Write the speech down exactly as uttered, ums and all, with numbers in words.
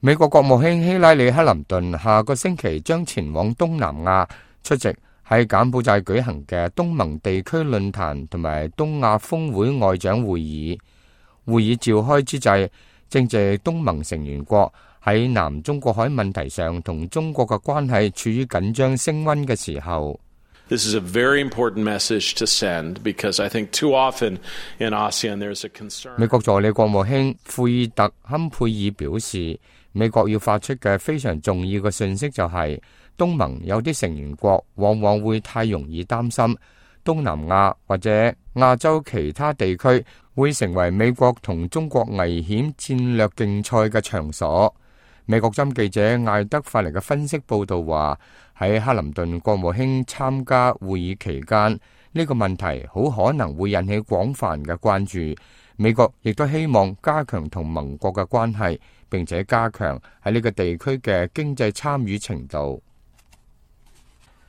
美國國務卿希拉里克林頓下個星期將前往東南亞出席喺柬埔寨舉行嘅東盟地區論壇同埋東亞峰會外長會議。會議召開之際，正值東盟成員國喺南中國海問題上同中國嘅關係處於緊張升溫嘅時候。This is a very important message to send because I think too often in ASEAN there's a concern. 美國助理國務卿庫爾特坎佩爾表示，美國要發出嘅非常重要嘅信息就係，東盟有啲成員國往往會太容易擔心東南亞或者亞洲其他地區會成為美國同中國危險戰略競賽嘅場所。美國針記者艾德發嚟嘅分析報道話，喺克林頓國務卿參加會議期間，呢個問題好可能會引起廣泛嘅關注。美國亦都希望加強同盟國嘅關係，並且加強喺呢個地區嘅經濟參與程度。